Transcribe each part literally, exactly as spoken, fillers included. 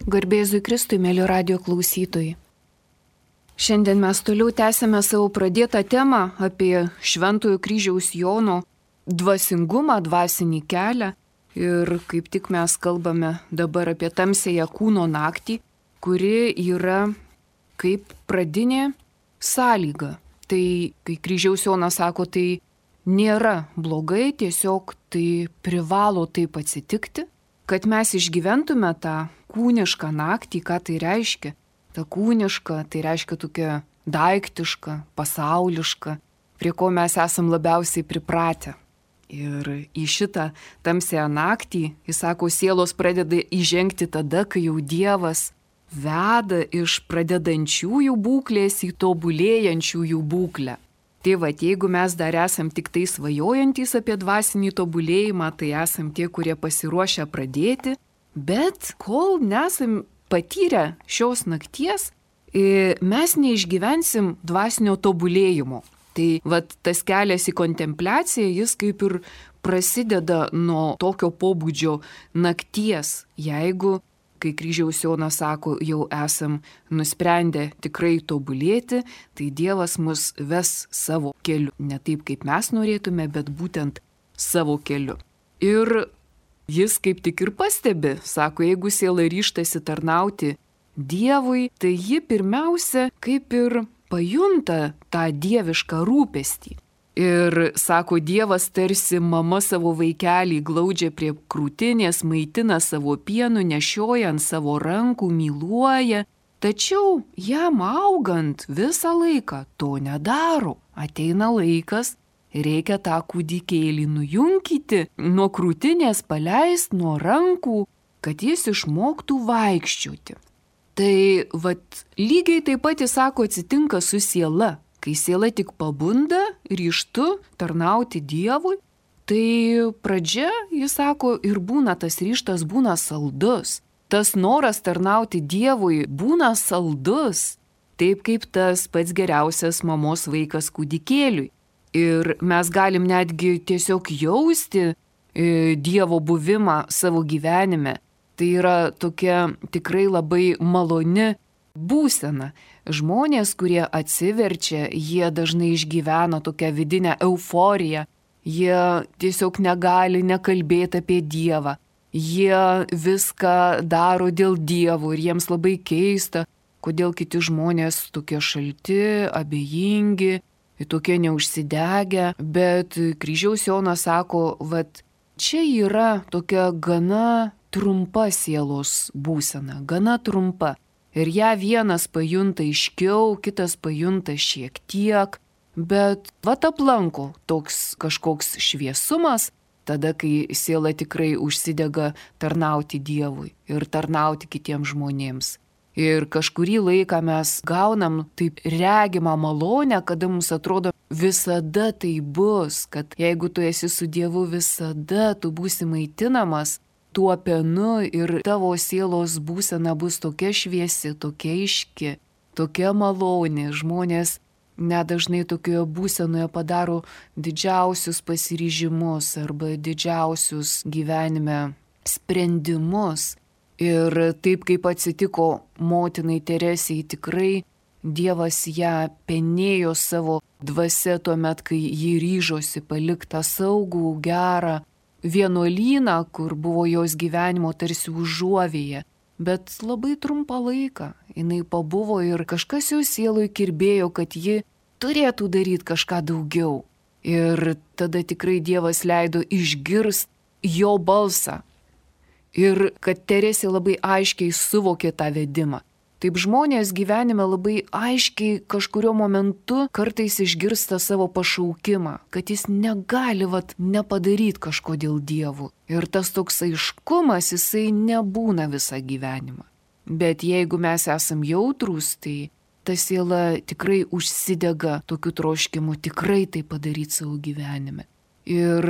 Garbėzui Kristui, mėly radio klausytojai. Šiandien mes toliau tęsime savo pradėtą temą apie Šventojo Kryžiaus Jono dvasingumą, dvasinį kelią. Ir kaip tik mes kalbame dabar apie tamsiąją kūno naktį, kuri yra kaip pradinė sąlyga. Tai, kai Kryžiaus Jonas sako, tai nėra blogai, tiesiog tai privalo taip atsitikti, kad mes išgyventume tą kūnišką naktį. Ką tai reiškia? Ta kūniška, tai reiškia tokia daiktiška, pasauliška, prie ko mes esam labiausiai pripratę. Ir į šitą tamsiąją naktį, jis sako, sielos pradeda įžengti tada, kai jau Dievas veda iš pradedančiųjų būklės į tobulėjančiųjų būklę. Tai va, jeigu mes dar esam tik tai svajojantys apie dvasinį tobulėjimą, tai esam tie, kurie pasiruošę pradėti, bet kol nesam patyrę šios nakties, mes neišgyvensim dvasinio tobulėjimo. Tai vat, tas kelias į kontempliaciją, jis kaip ir prasideda nuo tokio pobūdžio nakties, jeigu, kai Kryžiaus Jonas sako, jau esam nusprendę tikrai tobulėti, tai Dievas mus ves savo keliu. Ne taip, kaip mes norėtume, bet būtent savo keliu. Ir jis kaip tik ir pastebi, sako, jeigu siela ryžtasi tarnauti Dievui, tai ji pirmiausia kaip ir pajunta tą dievišką rūpestį. Ir sako, Dievas tarsi mama savo vaikelį glaudžia prie krūtinės, maitina savo pienu, nešioja ant savo rankų, myluoja. Tačiau jam augant visą laiką to nedaro. Ateina laikas, reikia tą kūdikėlį nujunkyti, nuo krūtinės paleist, nuo rankų, kad jis išmoktų vaikščioti. Tai vat, lygiai taip pat jis sako, atsitinka su siela. Kai siela tik pabunda, ryžtu tarnauti Dievui, tai pradžia, jis sako, ir būna tas ryžtas, būna saldus. Tas noras tarnauti Dievui būna saldus, taip kaip tas pats geriausias mamos vaikas kūdikėliui. Ir mes galim netgi tiesiog jausti e, Dievo buvimą savo gyvenime. Tai yra tokia tikrai labai maloni būsena. Žmonės, kurie atsiverčia, jie dažnai išgyvena tokią vidinę euforiją. Jie tiesiog negali nekalbėti apie Dievą. Jie viską daro dėl Dievo ir jiems labai keista, kodėl kiti žmonės tokie šalti, abejingi, tokie neužsidegę. Bet Kryžiaus Jonas sako, vat čia yra tokia gana trumpa sielos būsena, gana trumpa. Ir ją vienas pajunta aiškiau, kitas pajunta šiek tiek, bet vat aplanko toks kažkoks šviesumas, tada, kai siela tikrai užsidega tarnauti Dievui ir tarnauti kitiems žmonėms. Ir kažkurį laiką mes gaunam taip regimą malonę, kada mums atrodo, visada tai bus, kad jeigu tu esi su Dievu, visada tu būsi maitinamas tuo pienu ir tavo sielos būsena bus tokia šviesi, tokia aiški, tokia maloni. Žmonės nedažnai tokioje būsenoje padaro didžiausius pasiryžimus arba didžiausius gyvenime sprendimus. Ir taip kaip atsitiko motinai Teresei, tikrai Dievas ją penėjo savo dvasia tuomet, kai ji ryžosi palikti tą saugų, gerą vienuolyną, kur buvo jos gyvenimo tarsi užuovėje, bet labai trumpą laiką. Jinai pabuvo ir kažkas jau sieloj kirbėjo, kad ji turėtų daryti kažką daugiau. Ir tada tikrai Dievas leido išgirst jo balsą. Ir kad Teresė labai aiškiai suvokė tą vedimą. Taip žmonės gyvenime labai aiškiai kažkurio momentu kartais išgirsta savo pašaukimą, kad jis negali vat, nepadaryti kažko dėl Dievų. Ir tas toks aiškumas, jisai nebūna visą gyvenimą. Bet jeigu mes esam jautrūs, tai ta siela tikrai užsidega tokiu troškimu tikrai tai padaryti savo gyvenime. Ir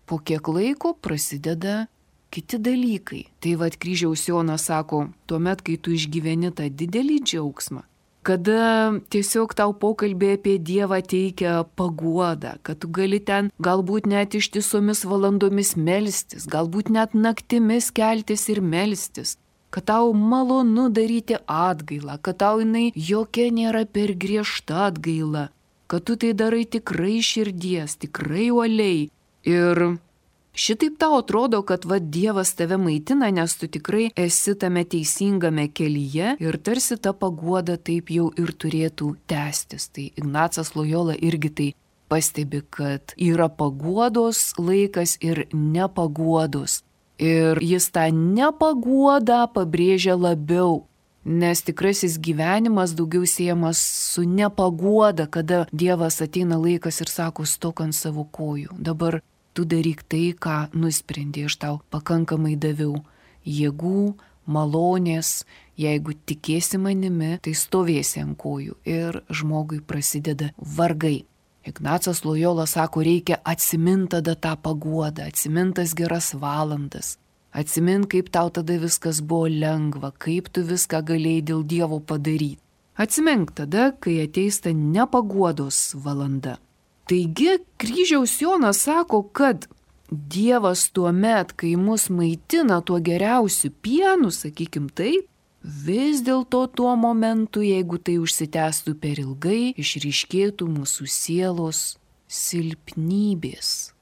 po kiek laiko prasideda kiti dalykai. Tai vat Kryžiaus Jonas sako, tuomet, kai tu išgyveni tą didelį džiaugsmą, kada tiesiog tau pokalbė apie Dievą teikia paguodą, kad tu gali ten galbūt net ištisomis valandomis melstis, galbūt net naktimis keltis ir melstis. kad tau malonu daryti atgailą, kad tau jinai jokia nėra per griežta atgaila, kad tu tai darai tikrai širdies, tikrai uoliai. Ir šitaip tau atrodo, kad va Dievas tave maitina, nes tu tikrai esi tame teisingame kelyje ir tarsi ta paguoda taip jau ir turėtų tęstis. Tai Ignacas Lojola irgi tai pastebi, kad yra paguodos laikas ir nepaguodos. Ir jis tą nepaguodą pabrėžia labiau, nes tikrasis gyvenimas daugiau siejamas su nepaguoda, kada Dievas ateina laikas ir sako, stok ant savo kojų. Dabar tu daryk tai, ką nusprendė, aš tau pakankamai daviau jėgų, malonės, jeigu tikėsi manimi, tai stovėsi ant kojų ir žmogui prasideda vargai. Ignacas Lojola sako, reikia atsimint tada tą paguodą, atsimintas geras valandas, atsimint, kaip tau tada viskas buvo lengva, kaip tu viską galėjai dėl Dievo padaryti. Atsimink tada, kai ateis ta nepaguodos valanda. Taigi, kryžiaus Jonas sako, kad Dievas tuo met, kai mus maitina tuo geriausiu pienu, sakykim taip, vis dėlto tuo momentu, jeigu tai užsitęstų per ilgai, išryškėtų mūsų sielos silpnybės.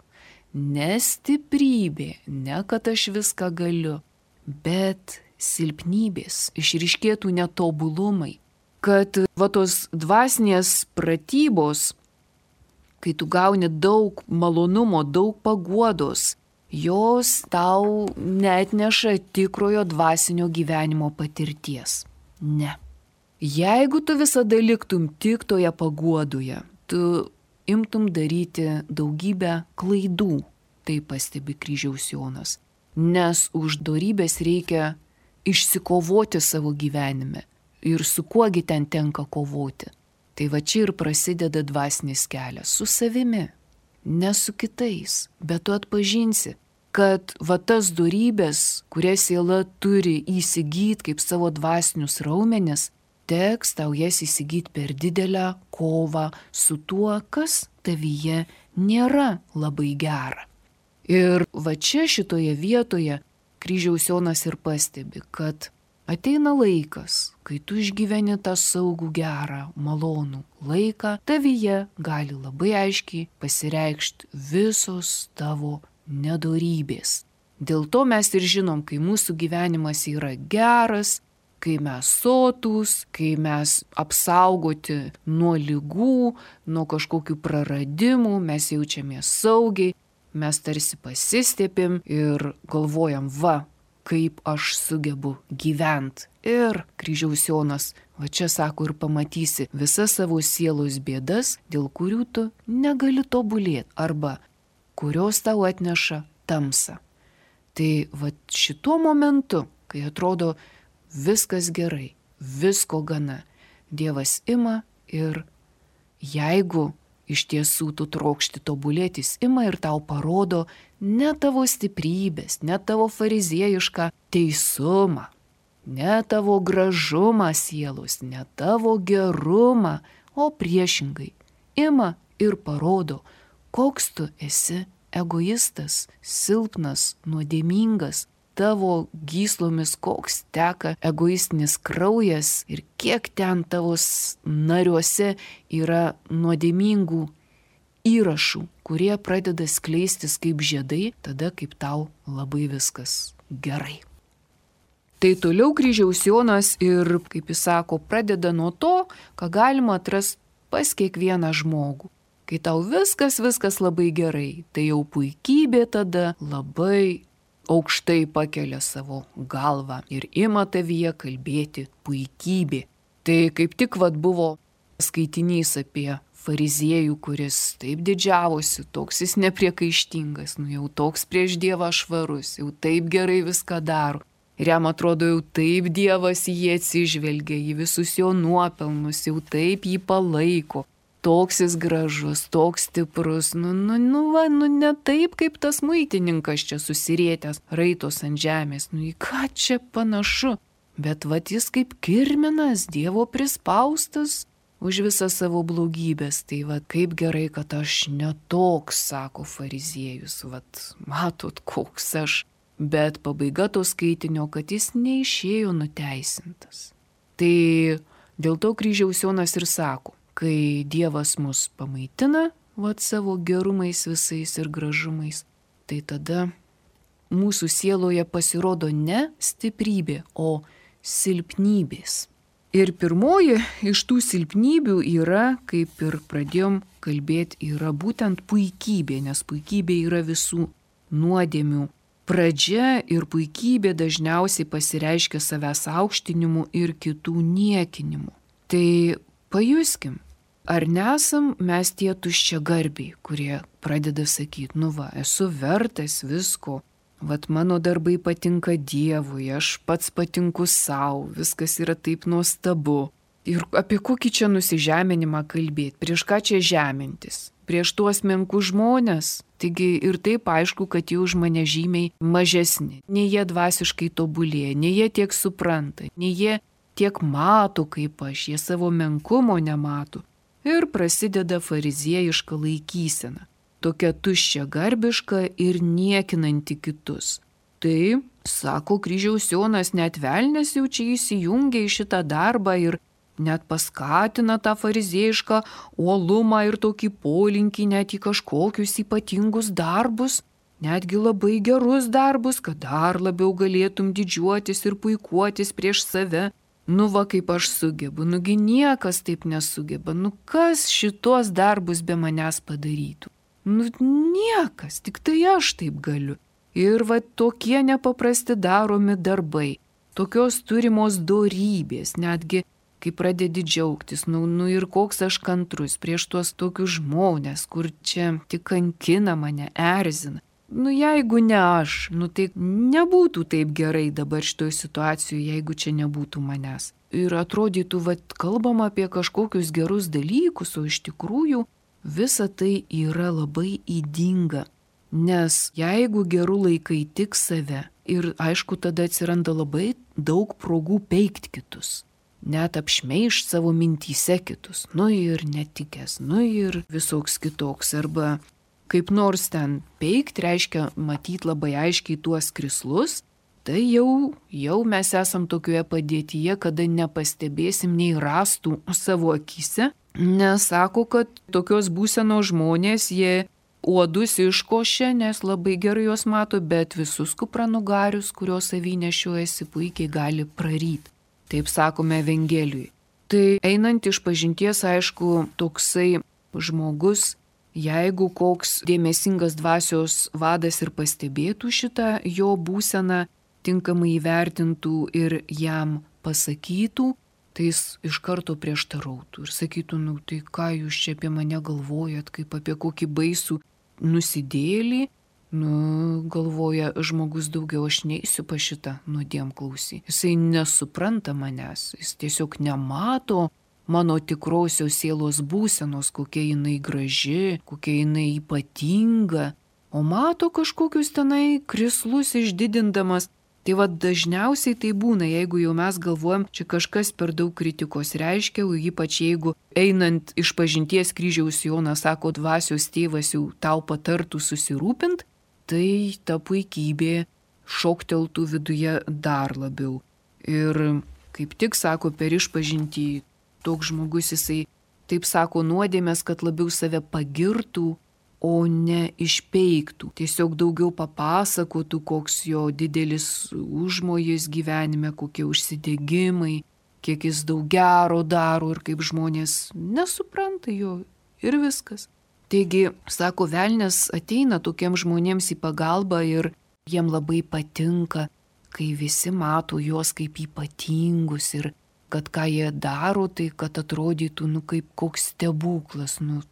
Ne stiprybė, ne kad aš viską galiu, bet silpnybės, išryškėtų netobulumai. Kad va tos dvasinės pratybos, kai tu gauni daug malonumo, daug paguodos, jos tau neatneša tikrojo dvasinio gyvenimo patirties. Ne. Jeigu tu visada liktum tik toje paguodoje, tu imtum daryti daugybę klaidų, tai pastebi kryžiaus Jonas. Nes už dorybės reikia išsikovoti savo gyvenime. Ir su kuogi ten tenka kovoti. Tai va čia ir prasideda dvasinis kelias su savimi, ne su kitais, bet tu atpažinsi, kad va tas dorybės, kurias siela turi įsigyti kaip savo dvasinius raumenis, teks tau jas įsigyti per didelę kovą su tuo, kas tavyje nėra labai gera. Ir va čia šitoje vietoje kryžiaus Jonas ir pastebi, kad ateina laikas, kai tu išgyveni tą saugų gerą, malonų laiką, tavyje gali labai aiškiai pasireikšti visos tavo nedorybės. Dėl to mes ir žinom, kai mūsų gyvenimas yra geras, kai mes sotūs, kai mes apsaugoti nuo ligų, nuo kažkokių praradimų, mes jaučiamės saugiai, mes tarsi pasistėpim ir galvojam, va, kaip aš sugebu gyventi. Ir kryžiaus Jonas, va čia sako, ir pamatysi visas savo sielos bėdas, dėl kurių tu negali tobulėti arba kurios tau atneša tamsą. Tai va šituo momentu, kai atrodo viskas gerai, visko gana, Dievas ima ir jeigu iš tiesų tu trokšti tobulėti, jis ima ir tau parodo ne tavo stiprybės, ne tavo fariziejišką teisumą, ne tavo gražumą sielos, ne tavo gerumą, o priešingai ima ir parodo, koks tu esi egoistas, silpnas, nuodėmingas, tavo gyslomis koks teka egoistinis kraujas ir kiek ten tavo nariuose yra nuodėmingų įrašų, kurie pradeda skleistis kaip žiedai, tada kaip tau labai viskas gerai. Tai toliau kryžiaus Jonas ir, kaip jis sako, pradeda nuo to, ką galima atrasti pas kiekvieną žmogų. Kai tau viskas, viskas labai gerai, tai jau puikybė tada labai aukštai pakelia savo galvą ir ima tavyje kalbėti puikybė. Tai kaip tik vat buvo skaitinys apie fariziejų, kuris taip didžiavosi, toks jis nepriekaištingas, nu jau toks prieš Dievą švarus, jau taip gerai viską daro. Ir jam atrodo, jau taip Dievas jį atsižvelgia, į visus jo nuopelnus, jau taip jį palaiko. Toks jis gražus, toks stiprus, nu, nu, nu, va, nu, ne taip, kaip tas muitininkas čia susirėtęs, raitos ant žemės, nu, į ką čia panašu, bet va, jis kaip kirminas, Dievo prispaustas už visą savo blogybės, tai va, kaip gerai, kad aš netoks, sako fariziejus, va, matot, koks aš, bet pabaiga to skaitinio, kad jis neišėjo nuteisintas. Tai dėl to kryžiaus Jonas ir sako, kai Dievas mus pamaitina, vat savo gerumais visais ir gražumais, tai tada mūsų sieloje pasirodo ne stiprybė, o silpnybės. Ir pirmoji iš tų silpnybių yra, kaip ir pradėjom kalbėti, yra būtent puikybė, nes puikybė yra visų nuodėmių pradžia ir puikybė dažniausiai pasireiškia savęs aukštinimu ir kitų niekinimu. Tai pajuskim, ar nesam mes tie tuščiagarbiai, kurie pradeda sakyti, nu va, esu vertas visko, vat mano darbai patinka Dievui, aš pats patinku savo, viskas yra taip nuostabu. Ir apie kokį čia nusižeminimą kalbėti, prieš ką čia žemintis, prieš tuos menkus žmonės. Taigi ir taip aišku, kad jie už mane žymiai mažesni, nei jie dvasiškai tobulėja, nei jie tiek supranta, nei jie tiek mato kaip aš, jie savo menkumo nemato. Ir prasideda fariziejiška laikysena, tokia tuščia garbiška ir niekinanti kitus. Tai, sako kryžiaus Jonas, net velnias jau čia įsijungia į šitą darbą ir net paskatina tą fariziejišką uolumą ir tokį polinkį net į kažkokius ypatingus darbus, netgi labai gerus darbus, kad dar labiau galėtum didžiuotis ir puikuotis prieš save. Nu va, kaip aš sugebu, nugi niekas taip nesugeba, nu kas šitos darbus be manęs padarytų? Nu niekas, tik tai aš taip galiu. Ir va tokie nepaprasti daromi darbai, tokios turimos dorybės, netgi kai pradedi džiaugtis, nu, nu ir koks aš kantrus prieš tuos tokius žmonės, kur čia tik kankina mane, erzina. Nu jeigu ne aš, nu tai nebūtų taip gerai dabar šitoj situacijoje, jeigu čia nebūtų manęs. Ir atrodytų, va, kalbam apie kažkokius gerus dalykus, o iš tikrųjų visa tai yra labai ydinga. Nes jeigu gerų laikai tik save, ir aišku tada atsiranda labai daug progų peikti kitus. Net apšmeišt savo mintyse kitus, nu ir netikęs, nu ir visoks kitoks, arba kaip nors ten peikt, reiškia matyti labai aiškiai tuos krislus, tai jau, jau mes esam tokioje padėtyje, kada nepastebėsim nei rastų savo akyse, nes sako, kad tokios būsenos žmonės, jie uodus iškošia, nes labai gerai juos mato, bet visus kupranugarius, kurios savy nešiojasi, puikiai gali praryti. Taip sakome Evangelijui. Tai einant iš pažinties, aišku, toksai žmogus, jeigu koks dėmesingas dvasios vadas ir pastebėtų šitą jo būseną, tinkamai įvertintų ir jam pasakytų, tai jis iš karto prieštarautų ir sakytų, nu tai ką jūs čia apie mane galvojat, kaip apie kokį baisų nusidėlį. Nu, galvoja žmogus, daugiau aš neįsiu pa šitą nuodėmklausį. Jisai nesupranta manęs, jis tiesiog nemato mano tikrosios sielos būsenos, kokia jinai graži, kokia jinai ypatinga, o mato kažkokius tenai krislus išdidindamas. Tai va dažniausiai tai būna, jeigu jau mes galvojam, čia kažkas per daug kritikos reiškia, ypač jeigu einant iš pažinties kryžiaus Jonas sako, dvasios tėvas jau tau patartų susirūpint, tai ta puikybė šokteltų viduje dar labiau. Ir kaip tik sako, per išpažintį toks žmogus jisai taip sako nuodėmės, kad labiau save pagirtų, o ne išpeiktų. Tiesiog daugiau papasakotų, koks jo didelis užmojis gyvenime, kokie užsidegimai, kiek jis daug gero daro ir kaip žmonės nesupranta jo ir viskas. Taigi, sako, velnias ateina tokiems žmonėms į pagalbą ir jiem labai patinka, kai visi mato juos kaip ypatingus ir kad ką jie daro, tai kad atrodytų, nu kaip koks stebuklas, nu.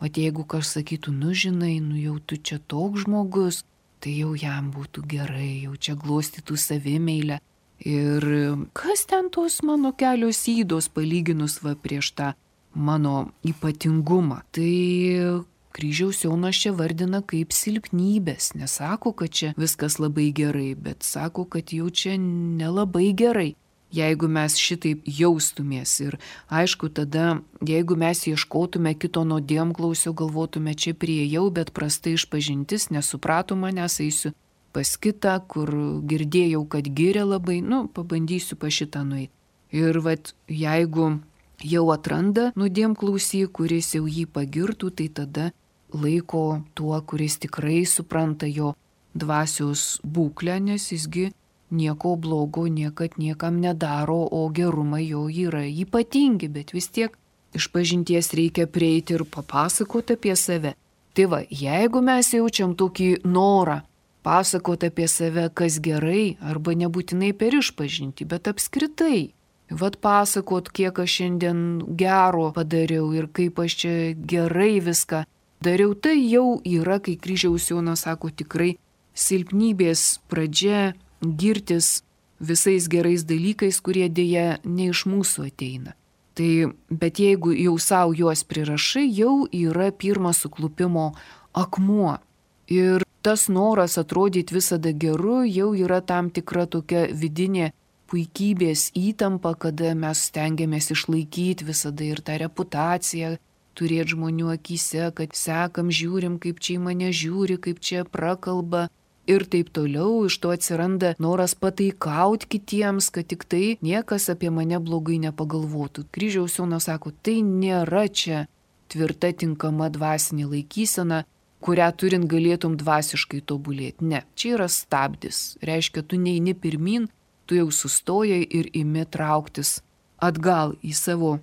O jeigu kas sakytų, nu žinai, nu jau tu čia toks žmogus, tai jau jam būtų gerai, jau čia glostytų savimeilę. Ir kas ten tos mano kelios ydos palyginus va prieš tą mano ypatingumą. Tai kryžiaus Jonas čia vardina kaip silpnybės, nesako, kad čia viskas labai gerai, bet sako, kad jau čia nelabai gerai. Jeigu mes šitaip jaustumės ir aišku tada, jeigu mes ieškotume kito nuodėmklausio, galvotume čia priejau, bet prastai išpažintis, nesuprato manęs, eisiu pas kitą, kur girdėjau, kad giria labai, nu, pabandysiu pa šitą nueiti. Ir vat, jeigu jau atranda nuodėmklausį, kuris jau jį pagirtų, tai tada laiko tuo, kuris tikrai supranta jo dvasios būklę, nes jisgi nieko blogo niekad niekam nedaro, o gerumai jo yra ypatingi, bet vis tiek išpažinties reikia prieiti ir papasakoti apie save. Tai va, jeigu mes jaučiam tokį norą pasakoti apie save, kas gerai, arba nebūtinai per išpažinti, bet apskritai, vat pasakot, kiek aš šiandien gero padariau ir kaip aš čia gerai viską dariau, tai jau yra, kai Kryžiaus Jonas sako, tikrai silpnybės pradžia girtis visais gerais dalykais, kurie dėja ne iš mūsų ateina. Tai, bet jeigu jau savo juos prirašai, jau yra pirmas suklupimo akmuo. Ir tas noras atrodyti visada geru jau yra tam tikra tokia vidinė puikybės įtampa, kada mes stengiamės išlaikyti visada ir tą reputaciją, turėti žmonių akyse, kad sekam, žiūrim, kaip čia į mane žiūri, kaip čia prakalba. Ir taip toliau, iš to atsiranda noras pataikauti kitiems, kad tik tai niekas apie mane blogai nepagalvotų. Kryžiaus Jonas sako, tai nėra čia tvirta tinkama dvasinė laikysena, kurią turint galėtum dvasiškai tobulėti. Ne, čia yra stabdis. Reiškia, tu neini pirmin, tu jau sustojai ir imi trauktis atgal į savo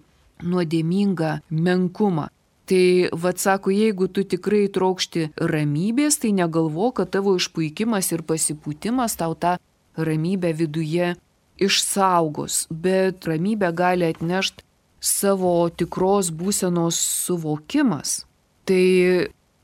nuodėmingą menkumą. Tai, vat sako, jeigu tu tikrai trokšti ramybės, tai negalvo, kad tavo išpuikimas ir pasipūtimas tau tą ramybę viduje išsaugos. Bet ramybę gali atnešti savo tikros būsenos suvokimas. Tai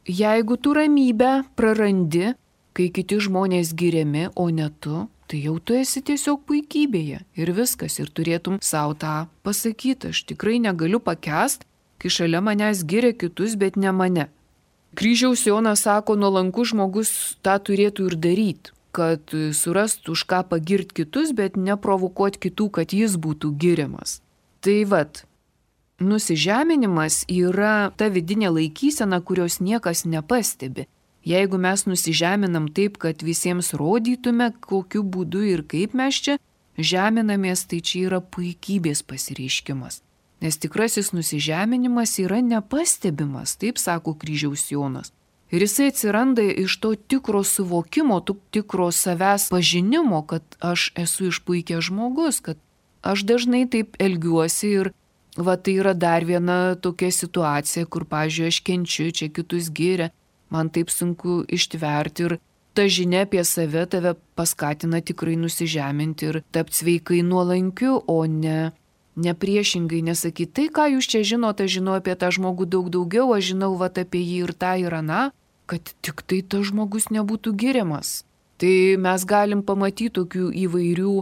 jeigu tu ramybę prarandi, kai kiti žmonės giriami, o ne tu, tai jau tu esi tiesiog puikybėje. Ir viskas, ir turėtum savo tą pasakyti. Aš tikrai negaliu pakęsti, kai šalia manęs giria kitus, bet ne mane. Kryžiaus Jonas sako, nuolankus žmogus tą turėtų ir daryti, kad surastų už ką pagirti kitus, bet neprovokuoti kitų, kad jis būtų giriamas. Tai vat, nusižeminimas yra ta vidinė laikysena, kurios niekas nepastebi. Jeigu mes nusižeminam taip, kad visiems rodytume, kokiu būdu ir kaip mes čia žeminamės, tai čia yra puikybės pasireiškimas. Nes tikrasis nusižeminimas yra nepastebimas, taip sako Kryžiaus Jonas. Ir jisai atsiranda iš to tikro suvokimo, to tikro savęs pažinimo, kad aš esu išpuikęs žmogus, kad aš dažnai taip elgiuosi ir va tai yra dar viena tokia situacija, kur, pavyzdžiui, aš kenčiu, čia kitus giria, man taip sunku ištverti ir ta žinia apie save tave paskatina tikrai nusižeminti ir tapti sveikai nuolankiu, o ne nepriešingai nesakyti, tai ką jūs čia žinote, aš žinau apie tą žmogų daug daugiau, aš žinau vat apie jį ir tą ir aną, kad tik tai tas žmogus nebūtų giriamas. Tai mes galim pamatyti tokių įvairių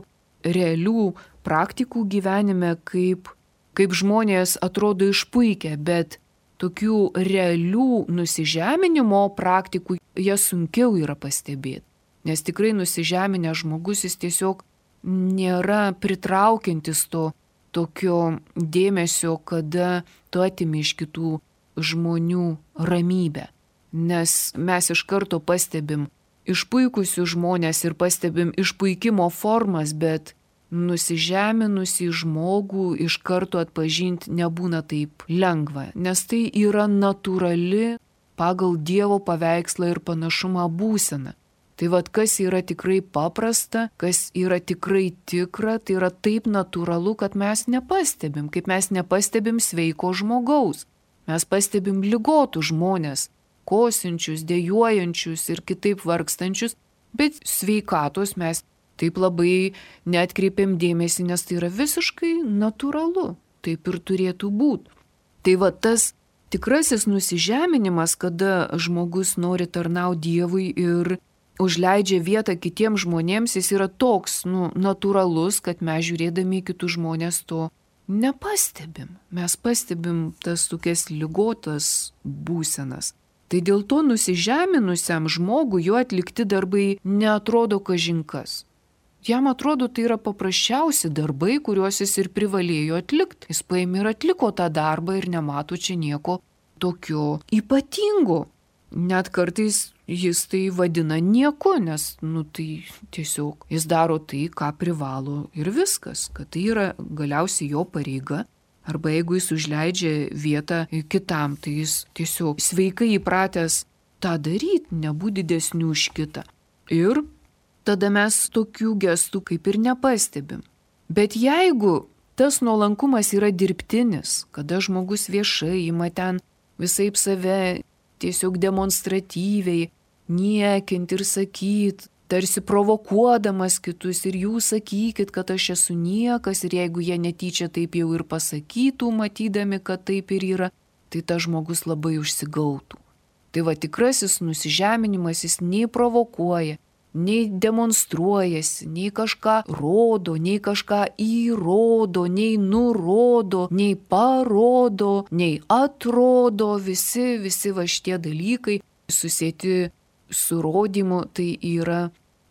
realių praktikų gyvenime, kaip, kaip žmonės atrodo išpuikę, bet tokių realių nusižeminimo praktikų jie sunkiau yra pastebėti. Nes tikrai nusižeminęs žmogus jis tiesiog nėra pritraukiantis to tokio dėmesio, kada tu atimi iš kitų žmonių ramybę. Nes mes iš karto pastebim išpuikusių žmonės ir pastebim išpuikimo formas, bet nusižeminusi žmogų iš karto atpažinti nebūna taip lengva, nes tai yra natūrali pagal Dievo paveikslą ir panašumą būsena. Tai vad, kas yra tikrai paprasta, kas yra tikrai tikra, tai yra taip natūralu, kad mes nepastebim, kaip mes nepastebim sveiko žmogaus. Mes pastebim ligotų žmonės, kosinčius, dejuojančius ir kitaip vargstančius, bet sveikatos mes taip labai neatkreipiam dėmesį, nes tai yra visiškai natūralu, taip ir turėtų būti. Tai va tas tikrasis nusižeminimas, kada žmogus nori tarnauti Dievui ir užleidžia vietą kitiems žmonėms, jis yra toks, nu, natūralus, kad mes žiūrėdami kitus žmonės to nepastebim. Mes pastebim tas tokias ligotas būsenas. Tai dėl to nusižeminusiam žmogui jo atlikti darbai neatrodo kažinkas. Jam atrodo, tai yra paprasčiausi darbai, kuriuos jis ir privalėjo atlikti. Jis paėmė ir atliko tą darbą ir nemato čia nieko tokio ypatingo. Net kartais jis tai vadina nieku, nes, nu, tai tiesiog jis daro tai, ką privalo ir viskas, kad tai yra galiausiai jo pareiga. Arba jeigu jis užleidžia vietą kitam, tai jis tiesiog sveikai įpratęs tą daryti, nebūti didesnių už kitą. Ir tada mes tokių gestų kaip ir nepastebim. Bet jeigu tas nuolankumas yra dirbtinis, kada žmogus viešai ima ten visaip save tiesiog demonstratyviai niekint ir sakyt, tarsi provokuodamas kitus ir jūs sakykit, kad aš esu niekas ir jeigu jie netyčia taip jau ir pasakytų, matydami, kad taip ir yra, tai tas žmogus labai užsigautų. Tai va tikrasis nusižeminimas, jis nei provokuoja, nei demonstruojasi, nei kažką rodo, nei kažką įrodo, nei nurodo, nei parodo, nei atrodo, visi, visi va šitie dalykai susieti su rodymu, tai yra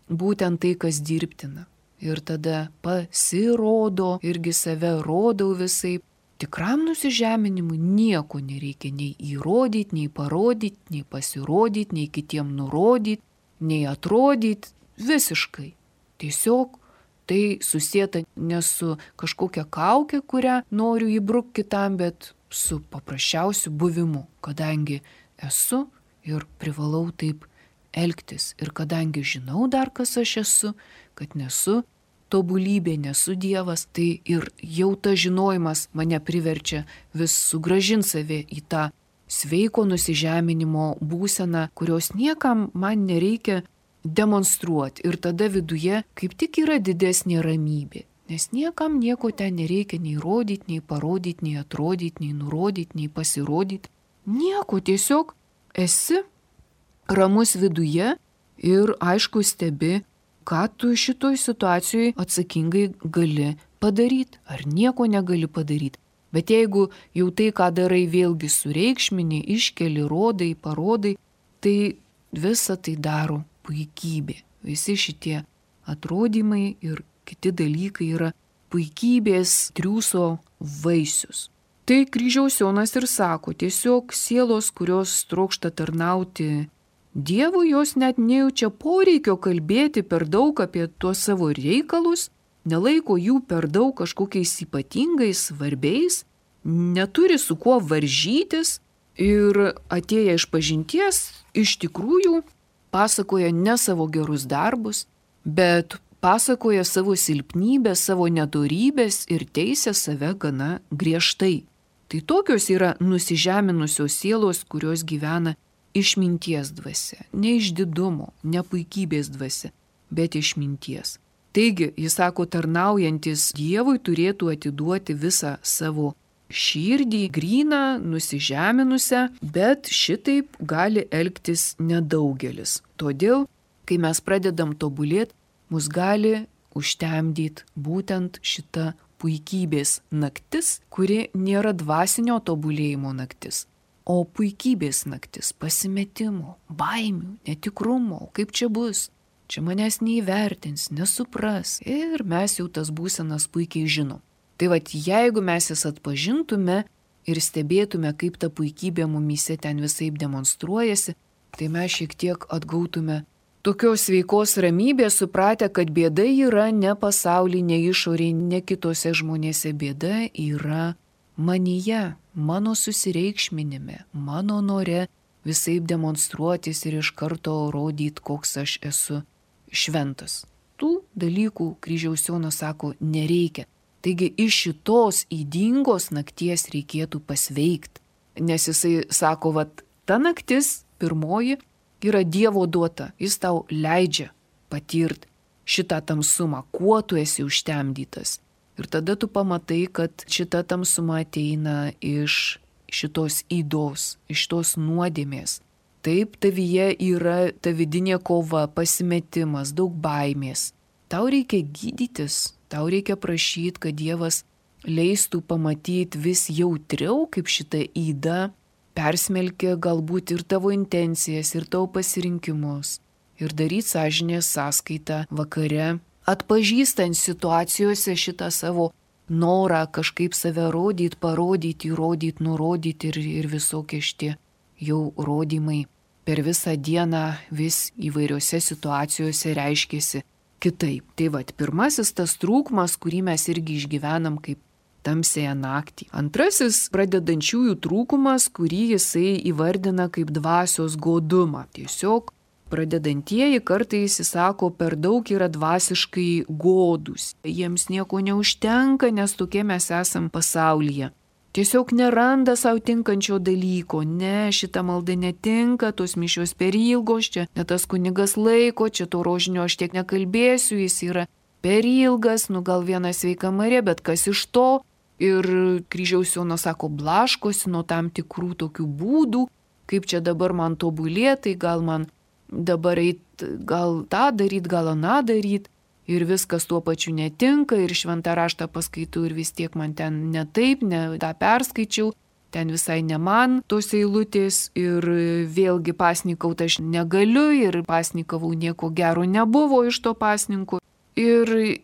būtent tai, kas dirbtina. Ir tada pasirodo, irgi save rodau visai. Tikram nusižeminimui nieko nereikia nei įrodyti, nei parodyti, nei pasirodyti, nei kitiem nurodyti, nei atrodyti. Visiškai. Tiesiog tai susieta ne su kažkokia kaukė, kurią noriu įbrukti kitam, bet su paprasčiausiu buvimu, kadangi esu ir privalau taip elgtis. Ir kadangi žinau dar, kas aš esu, kad nesu tobulybė, nesu Dievas, tai ir jau tas žinojimas mane priverčia vis sugrąžinti save į tą sveiko nusižeminimo būseną, kurios niekam man nereikia demonstruoti. Ir tada viduje kaip tik yra didesnė ramybė. Nes niekam nieko ten nereikia nei rodyti, nei parodyti, nei atrodyti, nei nurodyti, nei pasirodyti. Nieko, tiesiog esi ramus viduje ir aišku stebi, ką tu šitoj situacijoje atsakingai gali padaryti, ar nieko negali padaryti. Bet jeigu jau tai, ką darai, vėlgi sureikšmini, iškeli, rodai, parodai, tai visa tai daro puikybė. Visi šitie atrodymai ir kiti dalykai yra puikybės triūso vaisius. Tai kryžiaus Jonas ir sako, tiesiog sielos, kurios trokšta tarnauti Dievui, jos net nejaučia poreikio kalbėti per daug apie tuos savo reikalus, nelaiko jų per daug kažkokiais ypatingais, svarbiais, neturi su kuo varžytis ir atėję iš pažinties iš tikrųjų pasakoja ne savo gerus darbus, bet pasakoja savo silpnybės, savo nedorybės ir teisia save gana griežtai. Tai tokios yra nusižeminusios sielos, kurios gyvena išminties dvasia, ne išdidumo, ne puikybės dvasia, bet išminties. Taigi, jis sako, tarnaujantis Dievui turėtų atiduoti visą savo širdį, gryną, nusižeminusią, bet šitaip gali elgtis nedaugelis. Todėl, kai mes pradedam tobulėti, mus gali užtemdyti būtent šita puikybės naktis, kuri nėra dvasinio tobulėjimo naktis, o puikybės naktis, pasimetimo, baimių, netikrumo, kaip čia bus, čia manęs neįvertins, nesupras ir mes jau tas būsenas puikiai žinom. Tai vat, jeigu mes jas atpažintume ir stebėtume, kaip ta puikybė mumyse ten visaip demonstruojasi, tai mes šiek tiek atgautume tokios sveikos ramybės, supratę, kad bėda yra ne pasaulyje, ne išorėje, ne kitose žmonėse, bėda yra manyje, mano susireikšminime, mano nore visaip demonstruotis ir iš karto rodyti, koks aš esu šventas. Tų dalykų kryžiaus Jonas sako, nereikia. Taigi iš šitos ydingos nakties reikėtų pasveikti. Nes jisai sako, vat, ta naktis pirmoji yra Dievo duota. Jis tau leidžia patirti šitą tamsumą, kuo tu esi užtemdytas. Ir tada tu pamatai, kad šita tamsuma ateina iš šitos ydos, iš tos nuodėmės. Taip, tavyje yra ta vidinė kova, pasimetimas, daug baimės. Tau reikia gydytis, tau reikia prašyti, kad Dievas leistų pamatyti vis jautriau, kaip šita yda persmelkia galbūt ir tavo intencijas, ir tavo pasirinkimus. Ir daryti sąžinės sąskaitą vakare, atpažįstant situacijose šitą savo norą kažkaip save rodyti, parodyti, įrodyti, nurodyti ir, ir visokie šitie jau rodymai. per visą dieną vis įvairiose situacijose reiškėsi kitaip. Tai vad, pirmasis tas trūkumas, kurį mes irgi išgyvenam kaip tamsėje naktį. Antrasis pradedančiųjų trūkumas, kurį jisai įvardina kaip dvasios godumą. Tiesiog pradedantieji kartais, jis sako, per daug yra dvasiškai godūs. Jiems nieko neužtenka, nes tokie mes esam pasaulyje. Tiesiog neranda savo tinkančio dalyko. Ne, šita malda netinka, tos mišios per ilgos, čia ne tas kunigas laiko, čia to rožinio aš tiek nekalbėsiu, jis yra per ilgas, nu gal viena sveika Marija, bet kas iš to? Ir kryžiaus Jonas sako, blaškosi nuo tam tikrų tokių būdų, kaip čia dabar man tobulėti, gal man dabar eit, gal tą daryt, gal aną daryt. Ir viskas tuo pačiu netinka, ir šventą raštą paskaitau, ir vis tiek man ten ne taip, ne tą perskaičiau, ten visai ne man tos eilutės, ir vėlgi pasnikauti aš negaliu, ir pasnikavau nieko gero nebuvo iš to pasninko. Ir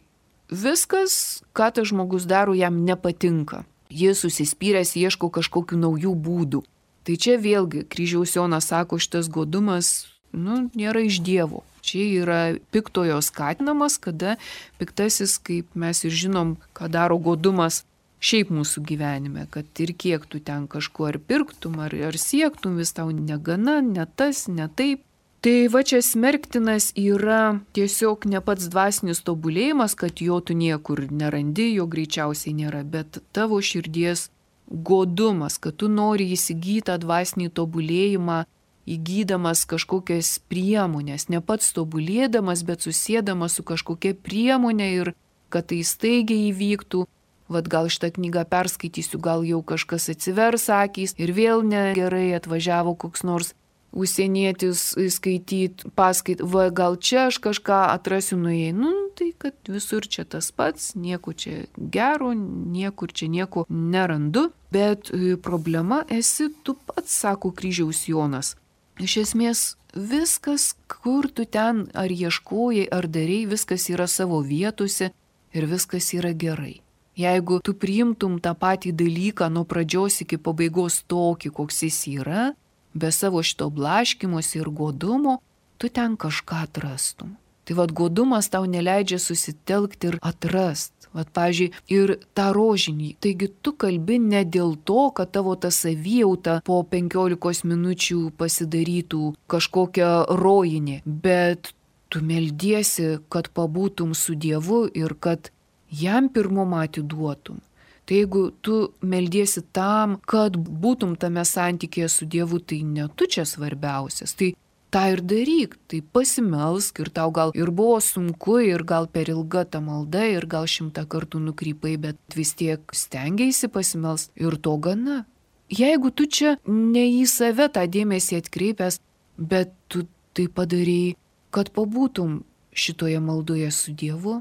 viskas, ką tas žmogus daro, jam nepatinka. Jis užsispyręs ieško kažkokių naujų būdų. Tai čia vėlgi kryžiaus Jonas sako, šitas godumas, nu, nėra iš Dievo. Čia yra piktojo skatinamas, kada piktasis, kaip mes ir žinom, ką daro godumas šiaip mūsų gyvenime, kad ir kiek tu ten kažko ar pirktum, ar, ar siektum, vis tau negana, ne tas, ne taip. Tai va čia smerktinas yra tiesiog ne pats dvasinis tobulėjimas, kad jo tu niekur nerandi, jo greičiausiai nėra, bet tavo širdies godumas, kad tu nori įsigyti dvasinį tobulėjimą, įgydamas kažkokias priemonės, ne pats tobulėdamas, bet susėdamas su kažkokia priemonė ir kad tai staigiai įvyktų. Vat gal šitą knygą perskaitysiu, gal jau kažkas atsivers akys ir vėl negerai atvažiavo koks nors užsienietis skaityt, paskait, va gal čia aš kažką atrasiu nuėjai, nu tai kad visur čia tas pats, nieko čia gero, niekur čia nieko nerandu, bet problema esi tu pats, sako kryžiaus Jonas. Iš esmės viskas, kur tu ten ar ieškojai, ar darei, viskas yra savo vietose ir viskas yra gerai. Jeigu tu priimtum tą patį dalyką nuo pradžios iki pabaigos tokį, koks jis yra, be savo šito blaškymosi ir godumo, tu ten kažką atrastum. Tai vad godumas tau neleidžia susitelkti ir atrast. Vat, pavyzdžiui, ir tą rožinį. Taigi tu kalbi ne dėl to, kad tavo ta savijauta po penkiolikos minučių pasidarytų kažkokia rojinė, bet tu meldiesi, kad pabūtum su Dievu ir kad jam pirmumą atiduotum. Tai jeigu tu meldiesi tam, kad būtum tame santykėje su Dievu, tai ne tu čia svarbiausias. Tai tą ir daryk, tai pasimelsk ir tau gal ir buvo sunku, ir gal per ilga ta malda, ir gal šimtą kartų nukrypai, bet vis tiek stengiaisi pasimelst ir to gana. Jeigu tu čia ne į save tą dėmesį atkreipęs, bet tu tai padarei, kad pabūtum šitoje maldoje su Dievu,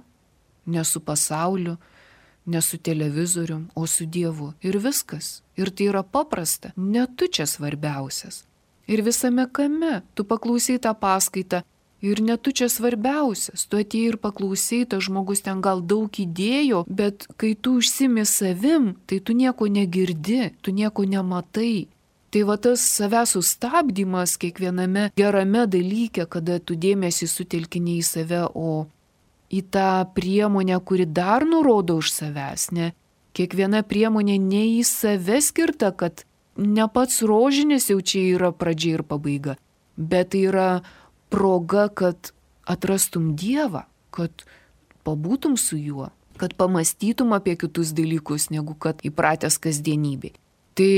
ne su pasauliu, ne su televizorium, o su Dievu. Ir viskas. Ir tai yra paprasta. Ne tu čia svarbiausias. Ir visame kame tu paklausai tą paskaitą ir ne tu čia svarbiausias. Tu atėjai ir paklausai, tas žmogus ten gal daug įdėjo, bet kai tu užsimi savim, tai tu nieko negirdi, tu nieko nematai. Tai va tas savęs sustabdymas kiekviename gerame dalyke, kada tu dėmesį sutelkini į save, o į tą priemonę, kuri dar nurodo už savęs, ne? Kiekviena priemonė ne į save skirta, kad ne pats rožinis jau čia yra pradžia ir pabaiga, bet tai yra proga, kad atrastum Dievą, kad pabūtum su juo, kad pamastytum apie kitus dalykus, negu kad įpratęs kasdienybėj. Tai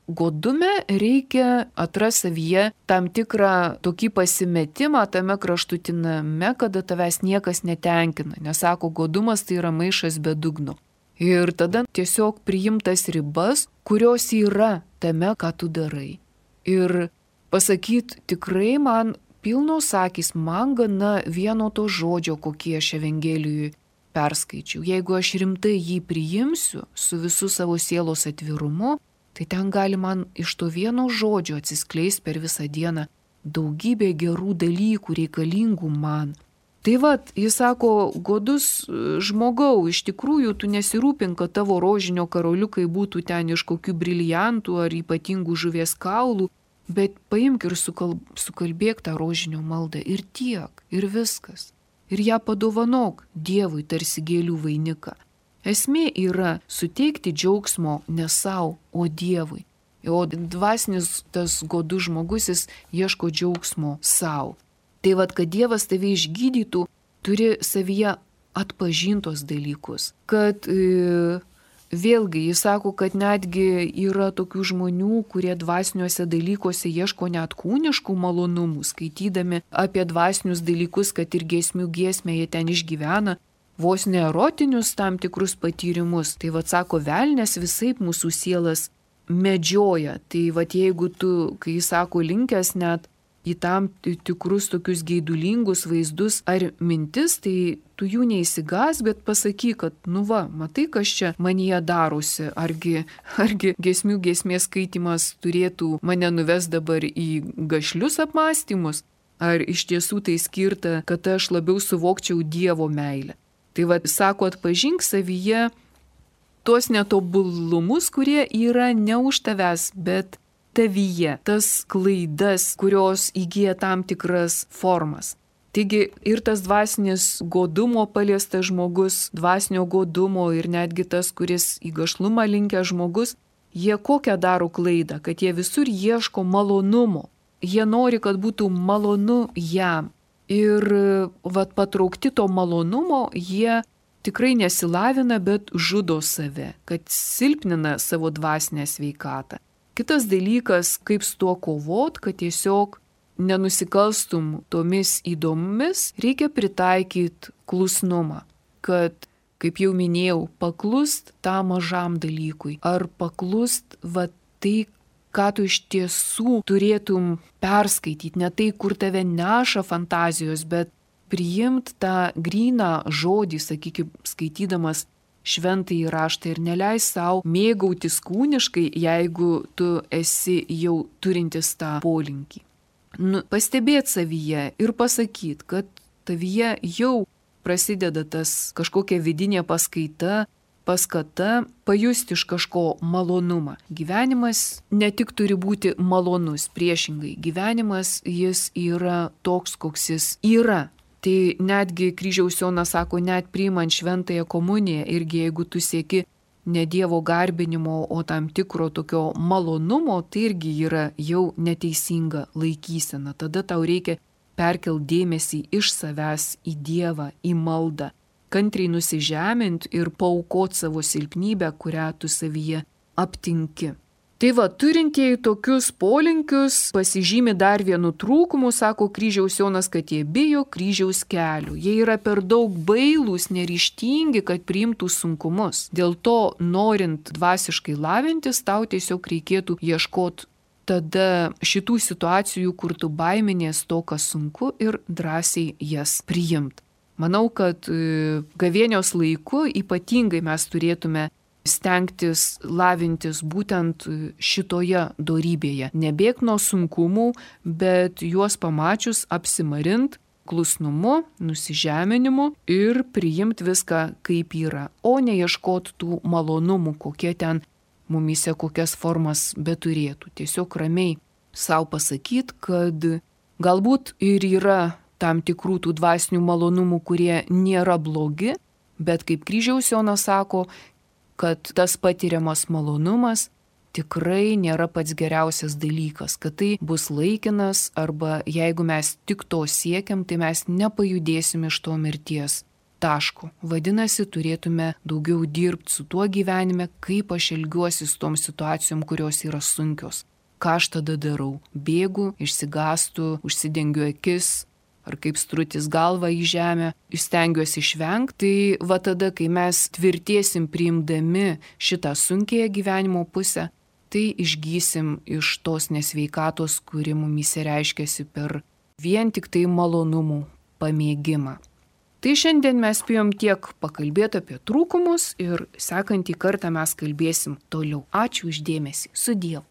godume reikia atrasti savyje tam tikrą tokį pasimetimą tame kraštutiname, kada tavęs niekas netenkina. Nes sako, godumas tai yra maišas be dugno. Ir tada tiesiog priimtas ribas, kurios yra tame, ką tu darai. Ir pasakyt, tikrai man pilnos akys, man gana vieno to žodžio, kokie aš Evangelijui perskaičiau. Jeigu aš rimtai jį priimsiu su visu savo sielos atvirumu, tai ten gali man iš to vieno žodžio atsiskleisti per visą dieną daugybė gerų dalykų reikalingų man. Tai vat, jis sako, godus žmogau, iš tikrųjų tu nesirūpink, kad tavo rožinio karoliukai būtų ten iš kokių briliantų ar ypatingų žuvies kaulų, bet paimk ir sukalb, sukalbėk tą rožinio maldą ir tiek, ir viskas. Ir ją padovanok Dievui tarsi gėlių vainiką. Esmė yra suteikti džiaugsmo ne savo, o Dievui. O dvasinis tas godus žmogus, jis ieško džiaugsmo savo. Tai vad, kad Dievas tave išgydytų, turi savyje atpažintos dalykus. Kad e, vėlgi jis sako, kad netgi yra tokių žmonių, kurie dvasiniuose dalykuose ieško net kūniškų malonumų, skaitydami apie dvasinius dalykus, kad ir giesmių giesmė jie ten išgyvena, vos ne erotinius tam tikrus patyrimus. Tai vad sako, velnės visaip mūsų sielas medžioja. Tai vad jeigu tu, kai jis sako, linkęs net į tam tikrus tokius geidulingus vaizdus ar mintis, tai tu jų neįsigas, bet pasakyk, kad nu va, matai, kas čia manyje darosi, argi, argi giesmių giesmės skaitimas turėtų mane nuvest dabar į gašlius apmąstymus, ar iš tiesų tai skirta, kad aš labiau suvokčiau Dievo meilę. Tai va, sako, atpažink savyje tuos netobulumus, kurie yra ne už tavęs, bet tavyje, tas klaidas, kurios įgyja tam tikras formas. Taigi ir tas dvasinis godumo paliestas žmogus, dvasinio godumo ir netgi tas, kuris į gašlumą linkęs žmogus, jie kokią daro klaidą, kad jie visur ieško malonumo. Jie nori, kad būtų malonu jam. Ir vat, patraukti to malonumo, jie tikrai nesilavina, bet žudo save, kad silpnina savo dvasinę sveikatą. Kitas dalykas, kaip su tuo kovot, kad tiesiog nenusikalstum tomis įdomis, reikia pritaikyti klusnumą, kad, kaip jau minėjau, paklust tam mažam dalykui, ar paklust va tai, ką tu iš tiesų turėtum perskaityti, ne tai, kur tave neša fantazijos, bet priimt tą gryną žodį, sakykime, skaitydamas šventąjį raštą ir neleis savo mėgautis kūniškai, jeigu tu esi jau turintis tą polinkį. Nu, pastebėt savyje ir pasakyt, kad tavyje jau prasideda tas kažkokia vidinė paskaita, paskata pajusti iš kažko malonumą. Gyvenimas ne tik turi būti malonus, priešingai, gyvenimas jis yra toks, koks jis yra. Tai netgi kryžiaus Jonas sako, net priimant šventąją komuniją, irgi jeigu tu sieki ne Dievo garbinimo, o tam tikro tokio malonumo, tai irgi yra jau neteisinga laikysena. Tada tau reikia perkelti dėmesį iš savęs į Dievą, į maldą, kantriai nusižemint ir paaukot savo silpnybę, kurią tu savyje aptinki. Tai va, turintieji tokius polinkius pasižymi dar vienu trūkumu, sako kryžiaus Jonas, kad jie bijo kryžiaus kelių. Jie yra per daug bailūs, neryžtingi, kad priimtų sunkumus. Dėl to, norint dvasiškai lavintis, tau tiesiog reikėtų ieškoti tada šitų situacijų, kur tu baiminės to, kas sunku, ir drąsiai jas priimti. Manau, kad gavėnios laiku ypatingai mes turėtume stengtis lavintis būtent šitoje dorybėje. Nebėk nuo sunkumų, bet juos pamačius apsimarint klusnumu, nusižeminimu ir priimti viską kaip yra, o neieškot tų malonumų, kokie ten mumise kokias formas beturėtų. Tiesiog ramiai savo pasakyti, kad galbūt ir yra tam tikrų tų dvasinių malonumų, kurie nėra blogi, bet kaip kryžiaus Jonas sako, kad tas patiriamas malonumas tikrai nėra pats geriausias dalykas, kad tai bus laikinas arba jeigu mes tik to siekiam, tai mes nepajudėsim iš to mirties taško. Vadinasi, turėtume daugiau dirbti su tuo gyvenime, kaip aš elgiuosi su tom situacijom, kurios yra sunkios. Ką aš tada darau? Bėgu, išsigastu, užsidengiu akis, ar kaip strutis galvą į žemę, stengiuosi išvengti, tai va tada, kai mes tvirtėsim priimdami šitą sunkiąją gyvenimo pusę, tai išgysim iš tos nesveikatos, kuri mumyse reiškiasi per vien tik tai malonumų pamėgimą. Tai šiandien mes spėjom tiek pakalbėti apie trūkumus ir sekantį kartą mes kalbėsim toliau. Ačiū už dėmesį. Su Dievu.